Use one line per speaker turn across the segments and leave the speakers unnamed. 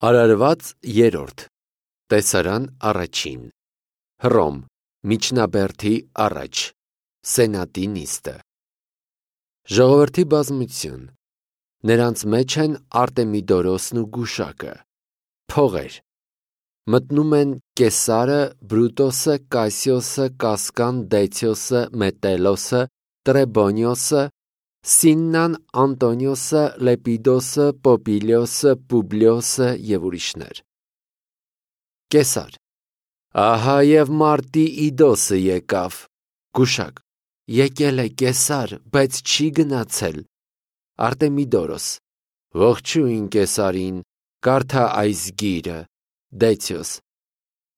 Արարված երրորդ Տեսարան առաջին Հռոմ Միջնաբերդի առաջ Սենատի նիստը Ժողովրդի բազմություն Նրանց մեջ են Արտեմիդորոսն ու գուշակը Փողեր Մտնում են Կեսարը, Բրուտոսը, Կասիոսը, Կասկան, Դեցիոսը, Մետելոսը, Տրեբոնիոսը, Սիննան, Անտոնիոսը, Լեպիդոսը, Պոպիլիոսը, Պուբլիոսը և ուրիշներ Կեսար Ահա և Մարտի Իդոսը եկավ Գուշակ Եկել է Կեսար, բայց չի գնացել Արտեմիդորոս Ողջույն Կեսարին, կարդա այս գիրը Դեցիոս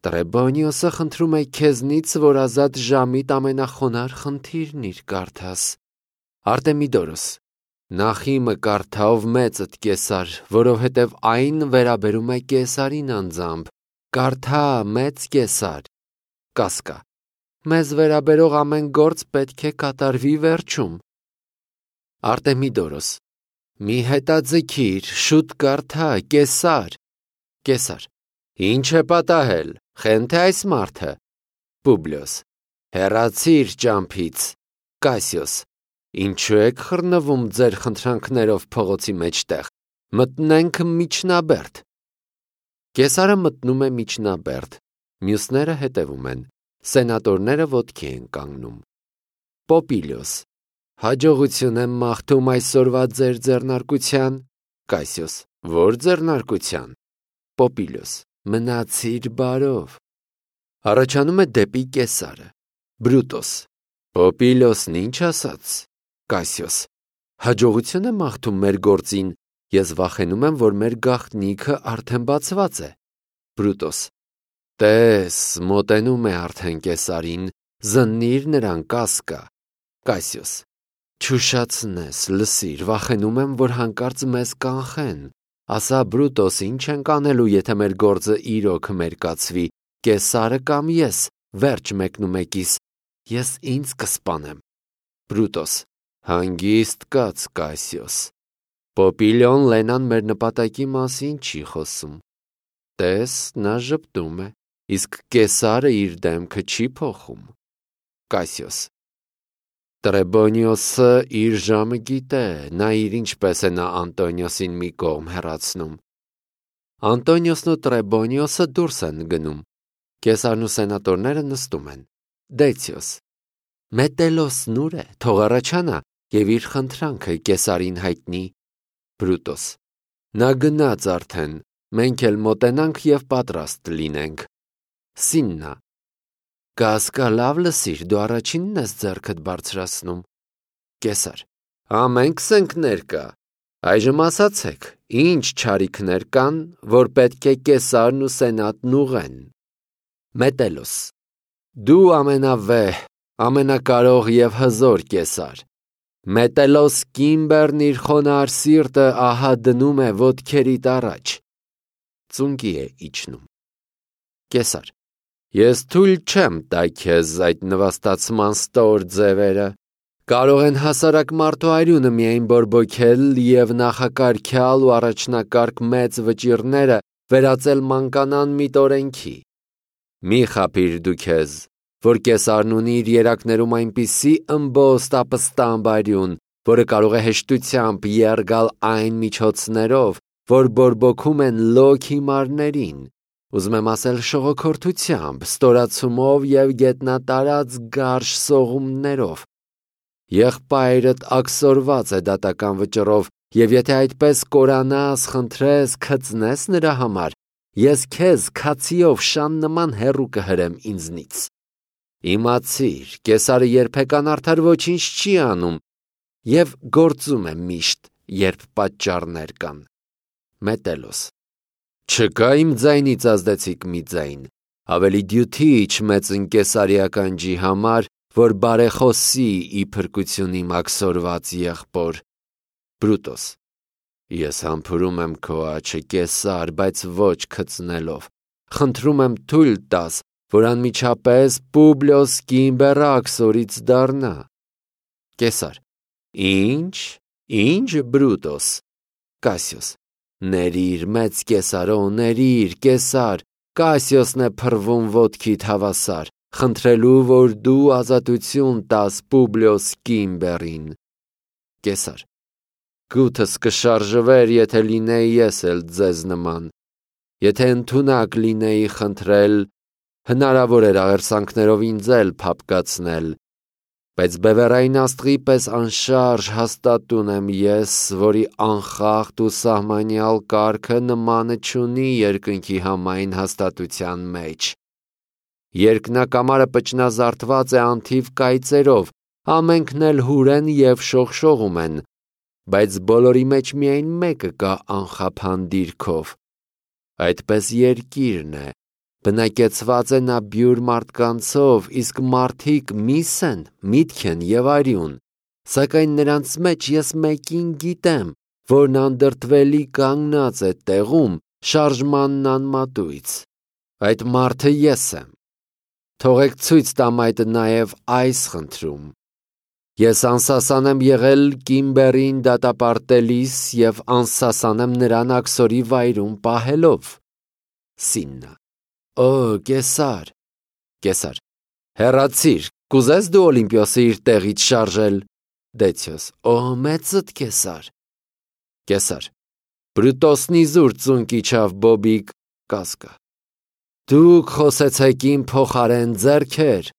Տրեբոնիոսը խնդրում է քեզնից, որ ազատ ժամիտ ամենախոնար խնդիրն իր կարդաս Արտեմիդորոս Նախիմը կարդա ով մեծդ Կեսար, որովհետև այն վերաբերում է Կեսարին անձամբ Կարդա մեծ Կեսար Կասկա Մեզ վերաբերող ամեն գործ պետք է կատարվի վերջում Արտեմիդորոս Մի հետաձգիր, շուտ կարդա, Կեսար Կեսար Ինչ է պատահել, խենթ է այս մարդը Պուբլիոս Հեռացիր ճամփից Կասիոս Ինչու եք խռնվում ձեր խնդրանքներով փողոցի մեջտեղ, մտնենք Միջնաբերդ Կեսարը մտնում է Միջնաբերդ, մյուսները հետևում են, սենատորները ոտքի են կանգնում Պոպիլիոս Հաջողություն եմ մաղթում այսօրվա ձեր ձեռնարկության Կասիոս Որ ձեռնարկության Պոպիլիոս Մնացիր բարով Առաջանում է դեպի Կեսարը Բրուտոս Պոպիլիոսն ինչ ասաց Կասիոս Հաջողություն եմ մաղթում մեր գործին Ես վախենում եմ, որ մեր գաղտնիքը արդեն բացված է Բրուտոս Տես, մոտենում է արդեն Կեսարին Զննիր նրան Կասկա Կասիոս Չուշացնես, լսիր, վախենում եմ, որ հանկարծ մեզ կանխեն Ասա Բրուտոս, ինչ ենք անելու, եթե մեր գործը իրոք մերկացվի Կեսարը կամ ես, վերջ մեկնումեկիս Ես ինձ կսպանեմ Բրուտոս Հանգիստ կաց Կասիոս Պոպիլիոն Լենան մեր նպատակի մասին չի խոսում Տես, նա ժպտում է, իսկ Կեսարը իր դեմքը չի փոխում Կասիոս Տրեբոնիոսը իր ժամը գիտե, նայիր ինչպես է նա Անտոնիոսին մի կողմ հեռացնում Անտոնիոսն ու Տրեբոնիոսը դուրս են գնում Կեսարն ու սենատորները նստում են Դեցիոս Մետելոսն ուր է, թող առաջանա և իր խնդրանքը Կեսարին հայտնի Բրուտոս Նա գնաց արդեն, մենք էլ մոտենանք և պատրաստ լինենք Սիննա Կասկա լավ լսիր, դու առաջինն ես ձեռքդ բարձրացնում Կեսար Ամենքս ենք ներկա Այժմ ասացեք, ինչ չարիքներ կան, որ պետք է Կեսարն ու սենատն ուղեն Մետելոս Դու ամենավեհ, ամենակարող և հզոր Կեսար Մետելոս կիմբերն իր խոնարհ սիրտը ահա դնում է ոտքերիդ առաջ Ծունկի է իջնում Կեսար Ես թույլ չեմ տա քեզ այդ նվաստացման ստոր ձևերը Կարող են հասարակ մարդու արյունը միայն բորբոքել և նախակարգյալ ու առաջնակարգ մեծ վճիռները վերածել մանկանան միտօրենքի Մի խաբիր դու քեզ Որ Կեսարն ունի իր երակներում այնպիսի ըմբոստ ապստամբ արյուն, որը կարող է հեշտությամբ եռգալ այն միջոցներով, որ բորբոքում են լոկ հիմարներին, ուզում եմ ասել շողոքորթությամբ, ստորացումով և գետնատարած գարշ սողումներով։ Եղբայրդ աքսորված է դատական վճռով, և եթե այդպես կորանաս, խնդրես, քծնես նրա համար, ես քեզ քացիով շան նման հեռու կհրեմ ինձնից։ Իմացիր, Կեսարը երբեք անարդար ոչինչ չի անում և գործում է միշտ, երբ պատճառներ կան։ Մետելոս Չկա իմ ձայնից ազդեցիկ մի ձայն, ավելի դյութիչ մեծ Կեսարի ականջի համար, որ բարեխոսի ի փրկություն իմ աքսորված եղբոր։ Բրուտոս Ես համբուրում եմ քո աչը Կեսար, բայց ոչ քծնելով, խնդրում եմ թույլ տաս, որ անմիջապես Պուբլիոս Կիմբերը աքսորից դառնա։ Կեսար Ինչ Բրուտոս Կասիոս Ներիր, մեծ կեսարո, ներիր, կեսար, Կասիոսն է փռվում ոտքիդ հավասար, խնդրելու, որ դու ազատություն տաս Պուբլիոս Կիմբերին։ Կեսար. Գութս կշարժվեր, եթե լինեի ես էլ ձեզ նման, եթե ընդունակ լինեի խնդրել, հնարավոր էր աղերսանքներով ինձ էլ փափկացնել, բայց բևեռային աստղի պես անշարժ հաստատուն եմ ես, որի անխախտ ու սահմանյալ կարգը նմանը չունի երկնքի համայն հաստատության մեջ։ Երկնակամարը պճնազարդված է անթիվ կայծերով, ամենքն էլ հուրեն և շողշողում են, բայց բոլորի մեջ միայն մեկը կա անխափան դիրքով։ Այդպես երկիրն է, բնակեցված է նա բյուր մարդկանցով, իսկ մարդիկ միս են, միտք են և արյուն, սակայն նրանց մեջ ես մեկին գիտեմ, որն անդրդվելի կանգնած է տեղում շարժմանն անմատույց։ Այդ մարդը ես եմ։ Թողեք ցույց տամ այդ նաև այս խնդրում։ Ես անսասան եմ եղել Կիմբերին դատապարտելիս և անսասան եմ նրան աքսորի վայրում պահելով։ Սիննա. Օ, կեսար։ Կեսար. հեռացիր, կուզես դու Օլիմպիոսը իր տեղից շարժել։ Դեցիոս. Օ, մեծդ կեսար։ Կեսար. Բրուտոսնի զուր ծունկ իջավ Բոբիկ Կասկա. Դուք խոսեցեք իմ փոխարեն ձեռքեր։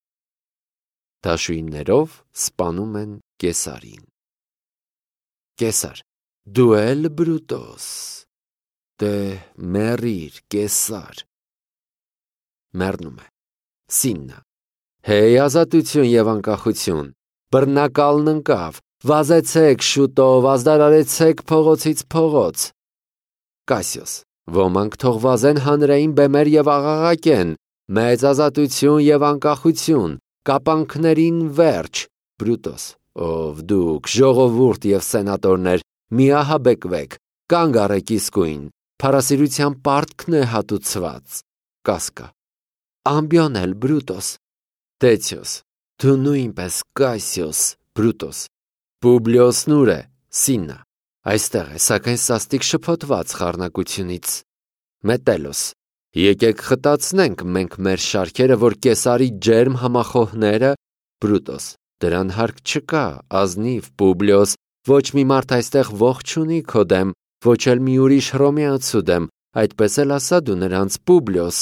Դաշույններով սպանում են կեսարին։ Կեսար. Դու էլ Բրուտոս։ Դե մեռիր, կեսար։ Մեռնում է։ Սիննա. Հեյ ազատություն և անկախություն, բռնակալն ընկավ, վազեցեք շուտով, ազդարարեցեք փողոցից փողոց։ Կասիոս. Ոմանք թող վազեն հանրային բեմեր և աղաղակեն, մեծ ազատություն և անկախություն, կապանքներին վերջ։ Բրուտոս. Ով դուք, ժողովուրդ և սենատորներ, միահաբեկվեք, կանգ առեք իսկույն, փառասիրության պարտքն է հատուցված։ Կասկա. Ամբիոն էլ Բրուտոս։ Դեցիոս. Դու նույնպես Կասիոս։ Բրուտոս. Պուբլիոսն ուր է։ Սիննա. Այստեղ է, սակայն սաստիկ շփոթված խառնակությունից։ Մետելոս. Եկեք խտացնենք մենք մեր շարքերը, որ կեսարի ջերմ համախոհները։ Բրուտոս. Դրան հարկ չկա, ազնիվ Պուբլիոս, ոչ մի մարդ այստեղ ողջ չունի քո դեմ, ոչ էլ մի ուրիշ հռոմեացու դեմ, այդպես էլ ասա դու նրանց Պուբլիոս։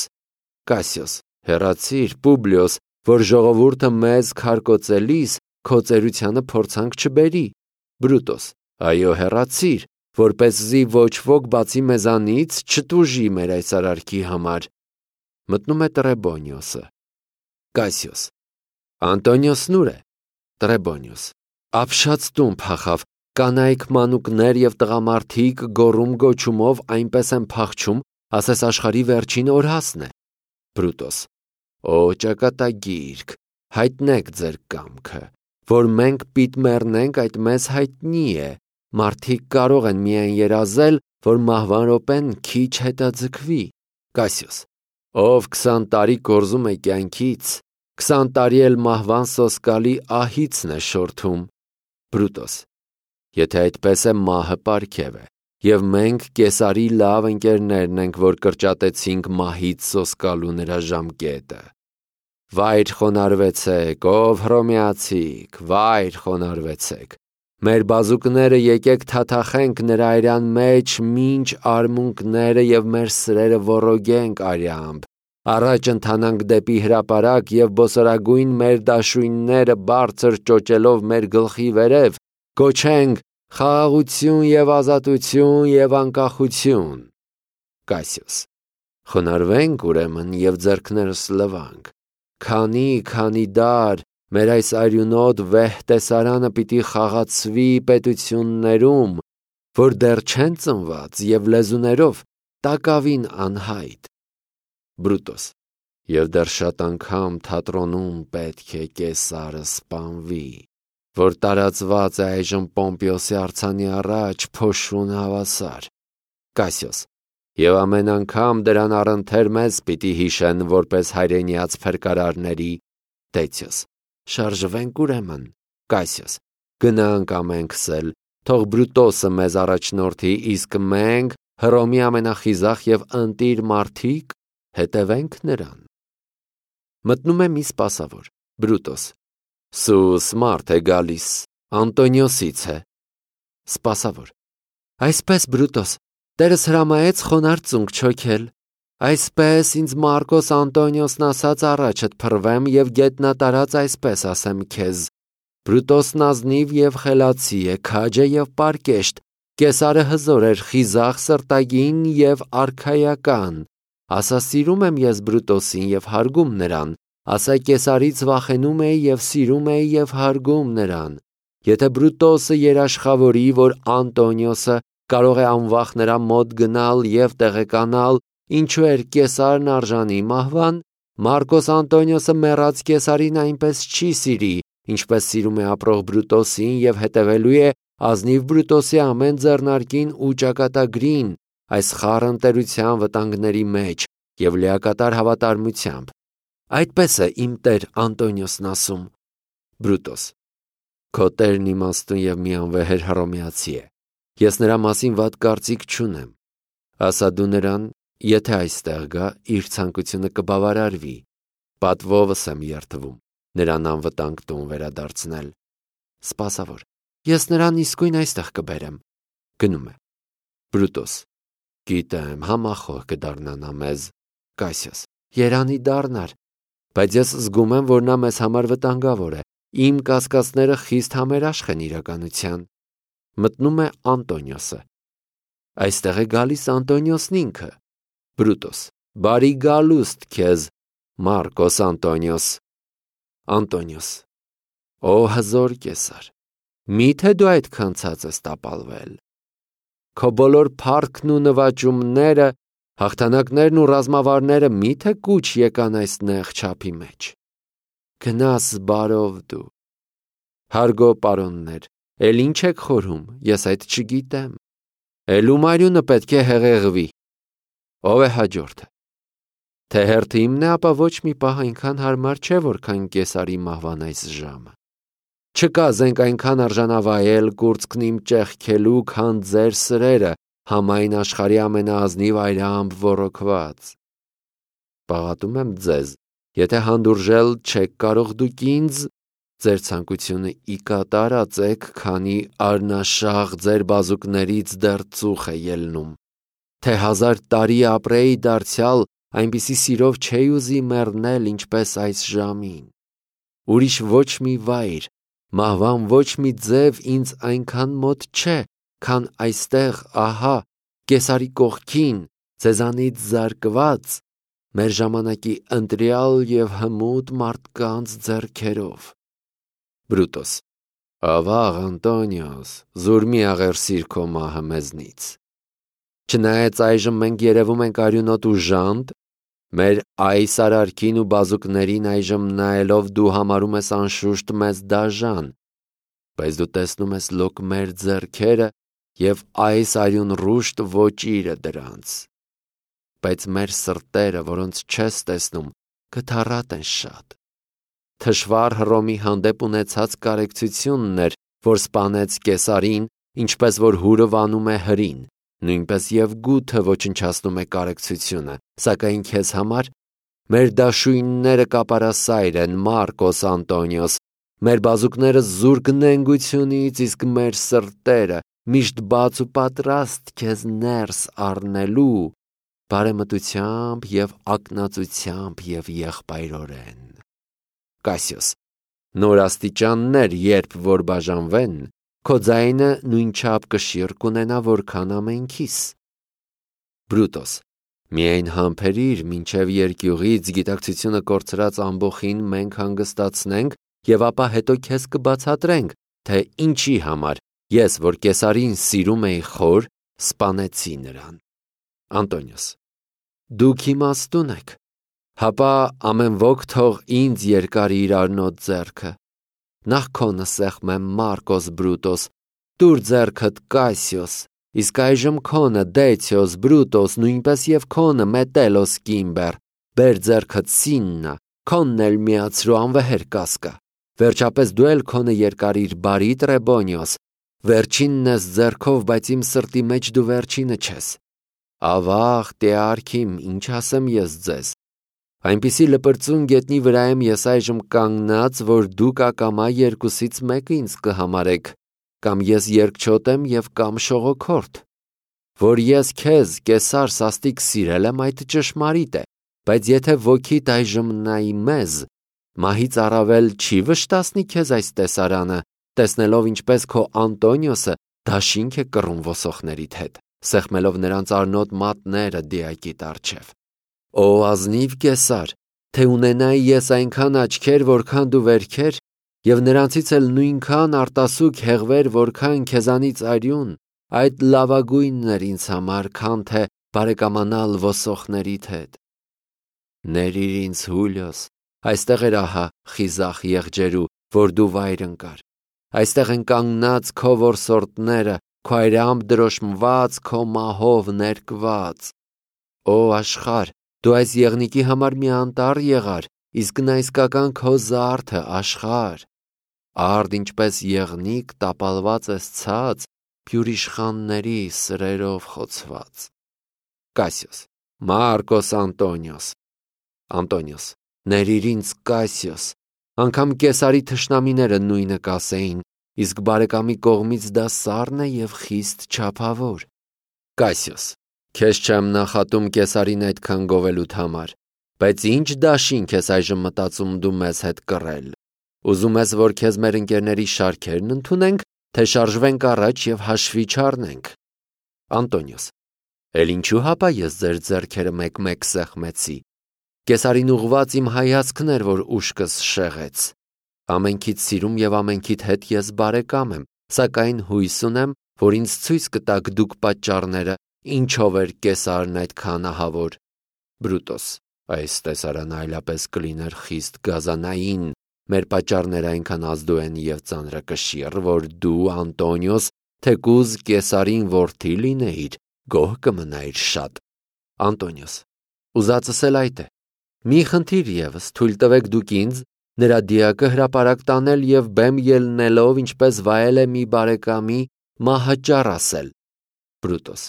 Կասիոս. հեռացիր Պուբլիոս, որ ժողովուրդը մեզ քարկոծելիս քո ծերությանը փորձանք չբերի։ Բրուտոս. Այո, հեռացիր, որպեսզի ոչ ոք բացի մեզանից չտուժի մեր այս արարքի համար։ Մտնում է Տրեբոնիոսը։ Կասիոս. Անտոնիոսն ուր է։ Տրեբոնիոս. Ապշած տուն փախավ, կանայք մանուկներ և տղամարդիկ գոռում գոչումով այնպես են փախչում, ասես աշխարհի վերջին օրհասն է։ Բրուտոս. Օ ճակատագիրք, հայտնեք ձեր կամքը, որ մենք պիտ մեռնենք, այդ մեզ հայտնի է, մարդիկ կարող են միայն երազել, որ մահվան րոպեն քիչ հետաձգվի։ Կասիոս. Ով 20 տարի կորզում է կյանքից, 20 տարի էլ մահվան սոսկալի ահիցն է շորթում։ Բրուտոս. Եթե այդպես է, մահը պարգև է, և մենք կեսարի լավ ընկերներն ենք, որ կրճատեցինք մահից սոսկալու նրա ժամկետը։ Վայր խոնարհվեցեք, ով հռոմեացիք, վայր խոնարհվեցեք։ Մեր բազուկները եկեք թաթախենք նրա արյան մեջ մինչ արմունկները և մեր սրերը ոռոգենք արյամբ, առաջ ընթանանք դեպի հրապարակ և բոսորագույն մեր դաշույնները բարձր ճոճելով մեր գլխի վերև, կոչենք խաղաղություն և ազատություն և անկախություն։ Կասիոս. Խոնարհվենք ուրեմն և ձեռքներս լվանք, քանի դար մեր այս արյունոտ վեհ տեսարանը պիտի խաղացվի պետություններում, որ դեռ չեն ծնված և լեզուներով տակավին անհայտ։ Բրուտոս. Եվ դեռ շատ անգամ թատրոնում պետք է կեսարը սպանվի, որ տարածված է այժմ Պոմպիոսի արձանի առաջ փոշուն հավասար։ Կասիոս. Եվ ամեն անգամ դրան առընթեր մեզ պիտի հիշեն որպես հայրենիաց փրկարարների։ Դեցիոս. Շարժվենք ուրեմն։ Կասիոս. Գնանք ամենքս էլ, թող Բրուտոսը մեզ առաջնորդի, իսկ մենք Հռոմի ամենախիզախ և ընտիր մարդիկ, հետևենք նրան։ Մտնում է մի սպասավոր, Բրուտոս։ Սուս մարդ է գալիս, Անտոնիոսից է։ Սպասավոր. Այսպես, Բրուտոս, տերս հրամայեց խոնարհ ծունկ չոքել։ Այսպես ինձ Մարկոս Անտոնիոսն ասաց առաջդ փռվեմ և գետնատարած այսպես ասեմ քեզ. Բրուտոսն ազնիվ և խելացի է, քաջ է և պարկեշտ, Կեսարը հզոր էր, խիզախ, սրտագին և արքայական։ Ասա սիրում եմ ես Բրուտոսին և հարգում նրան, ասա Կեսարից վախենում էի և սիրում էի և հարգում նրան։ Եթե Բրուտոսը երաշխավորի, որ Անտոնիոսը կարող է անվախ նրա մոտ գնալ և տեղեկանալ, ինչու էր Կեսարն արժանի մահվան, Մարկոս Անտոնիոսը մեռած Կեսարին այնպես չի սիրի, ինչպես սիրում է ապրող Բրուտոսին և հետևելու է ազնիվ Բրուտոսի ամեն ձեռնարկին ու ճակատագրին, այս խառը ընտերության վտանգների մեջ և լիակատար հավատարմությամբ։ Այդպես է իմ տեր Անտոնիոսն ասում։ Բրուտոս. Քո տերն իմաստուն և միանվեհեր հռոմեացի է։ Ես նրա մասին վատ կարծիք չունեմ։ Ասա դու նրան, եթե այստեղ գա, իր ցանկությունը կբավարարվի։ Պատվովս եմ երդվում նրան անվտանգ տուն վերադարձնել։ Սպասավոր. Ես նրան իսկույն այստեղ կբերեմ։ Գնում է։ Բրուտոս. Գիտեմ, համախոհ կդառնա մեզ։ Կասիոս. Երանի դառնար, բայց ես զգում եմ, որ նա մեզ համար վտանգավոր է։ Իմ կասկածները խիստ համերաշխ են իրականության։ Մտնում է Անտոնիոսը։ Այստեղ է գալիս Անտոնիոսն ինքը։ Բրուտոս. Բարի գալուստ քեզ, Մարկոս Անտոնիոս։ Անտոնիոս. Օ հզոր Կեսար, միթե դու այդքան ցած ես տապալվել։ Քո բոլոր փառքն ու նվաճումները, հաղթանակներն ու ռազմավարները միթե կուչ եկան այս նեղ չափի մեջ։ Գնաս բարով դու։ Հարգո պարոններ, էլ ինչ եք խորհում, ես այդ չգիտեմ։ Էլ ում արյունը պետք է հեղեղվի։ Ով է հաջորդը։ Թե հերթը իմն է, ապա ոչ մի պահ այնքան հարմար չէ, որքան Կեսարի մահվան այս ժամը։ Չկա զենք այնքան արժանավայել կուրծքն իմ ճեղքելու, քան ձեր սրերը, համայն աշխարհի ամենաազնիվ այրամբ ոռոգված։ Պաղատում եմ ձեզ, եթե հանդուրժել չեք կարող դուք ինձ, ձեր ցանկությունը ի կատարածեք, քանի արնաշաղ ձեր բազուկներից դեռ ծուխ է ելնում։ Թե 1000 տարի ապրեի դարձյալ, այնպիսի սիրով չէի ուզի մեռնել, ինչպես այս ժամին։ Ուրիշ ոչ մի վայր, մահվան ոչ մի ձև ինձ այնքան մոտ չէ, քան այստեղ, ահա, Կեսարի կողքին, ձեզանից զարկված, մեր ժամանակի ընտրյալ և հմուտ մարդկանց ձեռքերով։ Բրուտոս. Ավաղ Անտոնիոս, զուր մի աղերսիր քո մահը մեզնից։ Չնայած այժմ մենք երևում ենք արյունոտ ու ժանտ, մեր այս արարքին ու բազուկներին այժմ նայելով դու համարում ես անշուշտ մեզ դաժան, բայց դու տեսնում ես լոկ մեր ձեռքերը և այս արյուն ռուշտ ոճիրը դրանց։ Բայց մեր սրտերը, որոնց չես տեսնում, կթառատ են շատ։ Թշվառ Հռոմի հանդեպ ունեցած կարեկցությունն էր, որ սպանեց Կեսարին, ինչպես որ հուրը վանում է հրին, նույնպես և գութը ոչնչացնում է կարեկցությունը, սակայն քեզ համար մեր դաշույնները կապարասայր են, Մարկոս Անտոնիոս, մեր բազուկները զուրկ նենգությունից, իսկ մեր սրտերը միշտ բաց ու պատրաստ քեզ ներս առնելու բարեմտությամբ և ակնածությամբ և եղբայրորեն։ Կասիոս. նոր աստիճաններ, երբ որ բաժանվեն, քո ձայնը նույնչափ կշիռ կունենա, որքան ամենքիս։ Բրուտոս. միայն համբերիր, մինչև երկյուղից գիտակցությունը կորցրած ամբոխին մենք հանգստացնենք և ապա հետո քեզ կբացատրենք, թե ինչի համար ես, որ Կեսարին սիրում էի խոր, սպանեցի նրան։ Անտոնիոս. դուք իմաստուն եք, հապա ամեն ոք թող ինձ երկար իր արնոտ ձեռքը։ Նախ քոնը սեղմեմ, Մարկոս Բրուտոս, տուր ձեռքդ Կասիոս, իսկ այժմ քոնը Դեցիոս Բրուտոս, նույնպես և քոնը Մետելոս Կիմբեր, բեր ձեռքդ Սիննա, քոնն էլ միացրու անվեհեր Կասկա, վերջապես դու էլ քոնը երկարիր բարի Տրեբոնիոս, վերջինն ես ձեռքով, բայց իմ սրտի մեջ դու վերջինը չես։ Ավաղ տեարքիմ, ինչ ասեմ ես ձեզ։ Այնպիսի լպրծուն գետնի վրա եմ ես այժմ կանգնած, որ դուք ակամա երկուսից մեկը ինձ կհամարեք, կամ ես երկչոտ եմ և կամ շողոքորդ։ Որ ես քեզ, Կեսար, սաստիկ սիրել եմ, այդ ճշմարիտ է, բայց եթե ոգիդ այժմ նայի մեզ, մահից առավել չի վշտացնի քեզ այս տեսարանը, տեսնելով ինչպես քո Անտոնիոսը դաշինք է կռում ոսոխներիդ հետ, սեղմելով նրանց արնոտ մատները դիակիտ առջև։ Օ ազնիվ Կեսար, թե ունենայի ես այնքան աչքեր, որքան դու վերքեր, և նրանցից էլ նույնքան արտասուք հեղվեր, որքան քեզանից արյուն, այդ լավագույնն էր ինձ համար, քան թե բարեկամանալ ոսոխներիդ հետ։ Ներիր ինձ Հուլիոս, այստեղ էր ահա խիզախ եղջերու, որ դու վայր ընկար։ Այստեղ են կանգնած քո որսորդները, քո այրամբ դրոշմված, քո մահով ներկված։ Օ աշխարհ, դու այս եղնիկի համար մի անտառ եղար, իսկ նա իսկական քո զարդը աշխարհ։ Արդ ինչպես եղնիկ տապալված ես ցած, փյուրիշխանների սրերով խոցված։ Կասիոս, Մարկոս Անտոնիոս։ Անտոնիոս, ներիր ինձ Կասիոս, անգամ Կեսարի թշնամիները նույնը կասեին, իսկ բարեկամի կողմից դա սառն է և խիստ չափավոր։ Կասիոս, քեզ չեմ նախատում Կեսարին այդքան գովելուդ համար, բայց ինչ դաշինք ես այժմ մտածում դու մեզ հետ կռել։ Ուզում ես, որ քեզ մեր ընկերների շարքերն ընդունենք, թե շարժվենք առաջ և հաշվի չառնենք։ Անտոնիոս, էլ ինչու հապա ես ձեր ձեռքերը մեկ-մեկ սեղմեցի։ Կեսարին ուղված իմ հայացքն էր, որ ուշքս շեղեց։ Ամենքիդ սիրում և ամենքիդ հետ ես բարեկամ եմ, սակայն հույս ունեմ, որ ինձ ցույց կտաք դուք պատճառները, ինչով էր Կեսարն այդքան ահավոր։ Բրուտոս, այս տեսարանը այլապես կլիներ խիստ գազանային, մեր պատճառները այնքան ազդու են և ծանրակշիռ, որ դու, Անտոնիոս, թեկուզ Կեսարին որդի լինեիր, գոհ կմնայիր շատ։ Անտոնիոս, ուզածս էլ այդ է։ Մի խնդիր ևս, թույլ տվեք դուք ինձ նրա դիակը հրապարակ տանել և բեմ ելնելով, ինչպես վայել է մի բարեկամի, մահաճառ ասել։ Բրուտոս,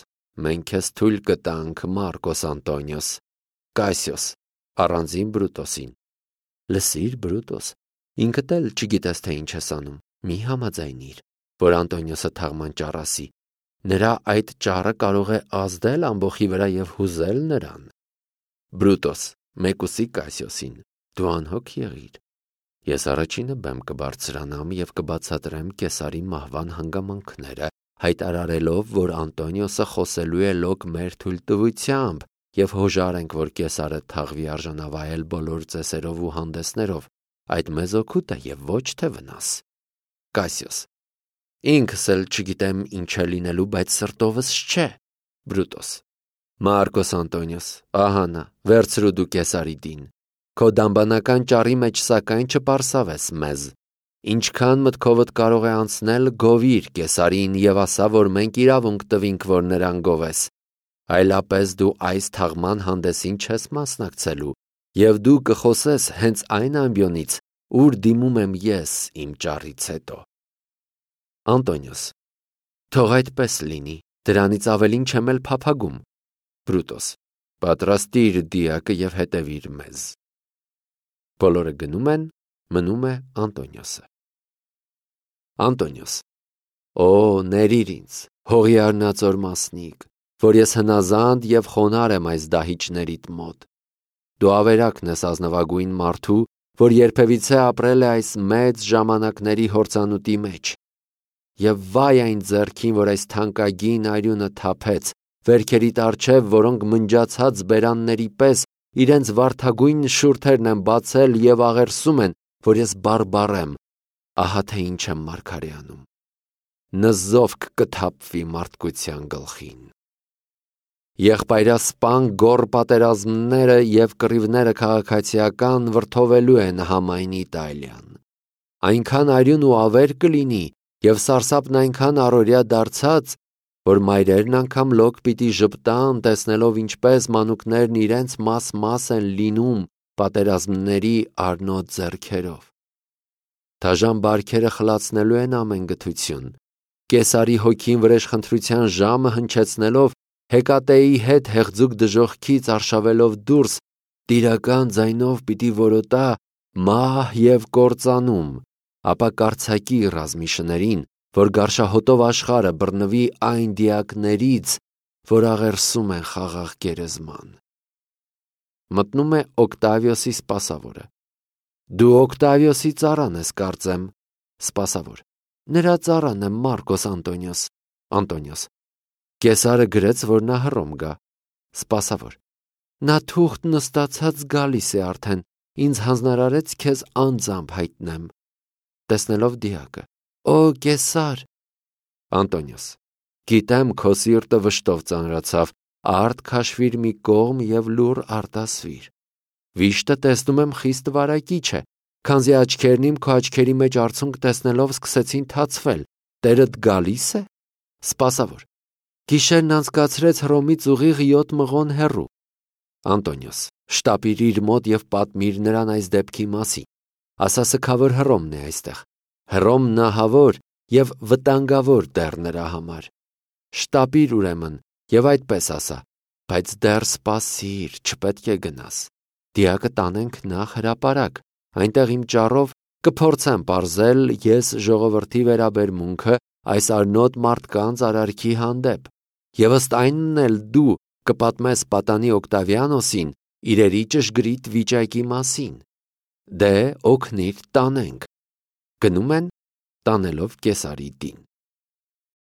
մենք քեզ թույլ կտանք, Մարկոս Անտոնիոս։ Կասիոս, առանձին Բրուտոսին։ Լսիր, Բրուտոս, ինքդ էլ չգիտես, թե ինչ ես անում, մի համաձայնիր, որ Անտոնիոսը թաղման ճառ ասի։ Նրա այդ ճառը կարող է ազդել ամբոխի վրա և հուզել նրան։ Բրուտոս, մեկուսի Կասիոսին, դու անհոգ եղիր։ Ես առաջինը բեմ կբարձրանամ և կբացատրեմ Կեսարի մահվան հանգամանքները, հայտարարելով, որ Անտոնիոսը խոսելու է լոկ մեր թույլտվությամբ և հոժարենք, որ Կեսարը թաղվի արժանավայել բոլոր ծեսերով ու հանդեսներով, այդ մեզ օգուտ է և ոչ թե վնաս։ Կասիոս, ինքս էլ չգիտեմ ինչ է լինելու, բայց սրտովս չէ։ Բրուտոս, Մարկոս Անտոնիոս, ահա նա, վերցրու դու Կեսարի դին։ Քո դամբանական ճառի մեջ սակայն չպարսավես մեզ։ Ինչքան մտքովդ կարող է անցնել, գովիր Կեսարին և ասա, որ մենք իրավունք տվինք, որ նրան գովես։ Այլապես դու այս թաղման հանդեսին չես մասնակցելու, և դու կխոսես հենց այն ամբիոնից, ուր դիմում եմ ես իմ ճառից հետո։ Անտոնիոս, թող այդպես լինի, դրանից ավելին չեմ էլ փափագում։ Բրուտոս, պատրաստիր դիակը և հետևիր մեզ։ Բոլորը գնում են, մնում է Անտոնիոսը։ Անտոնիոս, օ, ներիր ինձ, հողի արնածոր մասնիկ, որ ես հնազանդ և խոնար եմ այս դահիճներիդ մոտ։ Դու ավերակն ես ազնվագույն մարդու, որ երբևիցե ապրել է այս մեծ ժամանակների հորձանուտի մեջ։ Եվ վայ այն ձեռքին, որ այս թանկագին արյունը թափեց, վերքերիդ առջև, որոնք մնջացած բերանների պես իրենց վարդագույն շուրթերն են բացել և աղերսում են, որ ես բարբառ եմ, ահա թե ինչ եմ մարգարե անում։ Նզովք կթափվի մարդկության գլխին։ Եղբայրասպան գոռ պատերազմները և կռիվները քաղաքացիական վրդովելու են համայն Իտալիան։ Այնքան արյուն ու ավեր կլինի և սարսափն այնքան առօրյա դարձած, որ մայրերն անգամ լոկ պիտի ժպտան, տեսնելով ինչպես մանուկներն իրենց մաս են լինում պատերազմների արնոտ ձեռքերով։ Դաժան բարքերը խլացնելու են ամեն գթություն։ Կեսարի հոգին վրեժխնդրության ժամը հնչեցնելով, Հեկատեի հետ հեղձուկ դժոխքից արշավելով դուրս, տիրական ձայնով պիտի որոտա մահ և կործանում, ապա կարծակի ռազմիշներին, որ գարշահոտով աշխարը բռնվի այն դիակներից, որ աղերսում են խաղաղ գերեզման։ Մտնում է Օկտավիոսի սպասավորը։ Դու Օկտավիոսի ծառան ես, կարծեմ։ Սպասավոր. Նրա ծառան եմ, Մարկոս Անտոնիոս։ Անտոնիոս. Կեսարը գրեց, որ նա Հռոմ գա։ Սպասավոր. Նա թուղթ նստացած գալիս է արդեն, ինձ հանձնարարեց քեզ անձամբ հայտնեմ։ Տեսնելով դիակը. Օ, Կեսար։ Անտոնիոս. Գիտեմ, քո սիրտը վշտով ծանրացավ, արդ քաշվիր մի կողմ և լուռ արտասվիր։ Վիշտը տեսնում եմ խիստ վարակիչ է, քանզի աչքերն իմ քո աչքերի մեջ արցունք տեսնելով սկսեցին թացվել, տերդ գալի՞ս է։ Սպասավոր. Գիշերն անցկացրեց Հռոմից ուղիղ 7 մղոն հեռու։ Անտոնիոս. Շտապիր իր մոտ և պատմիր նրան այս դեպքի մասին։ Ասա սգավոր Հռոմն է այստեղ։ Հռոմն ահավոր և վտանգավոր դեռ նրա համար։ Շտապիր ուրեմն և այդպես ասա, բայց դեռ սպասիր, չպետք է գնաս։ Դիակը տանենք նախ հրապարակ, այնտեղ իմ ճառով կփորձեմ պարզել ես ժողովրդի վերաբերմունքը այս արնոտ մարդկանց արարքի հանդեպ, և ըստ այնն էլ դու կպատմես պատանի Օկտավիանոսին իրերի ճշգրիտ վիճակի մասին։ Դե օգնիր տանենք։ Գնում են տանելով Կեսարի դին։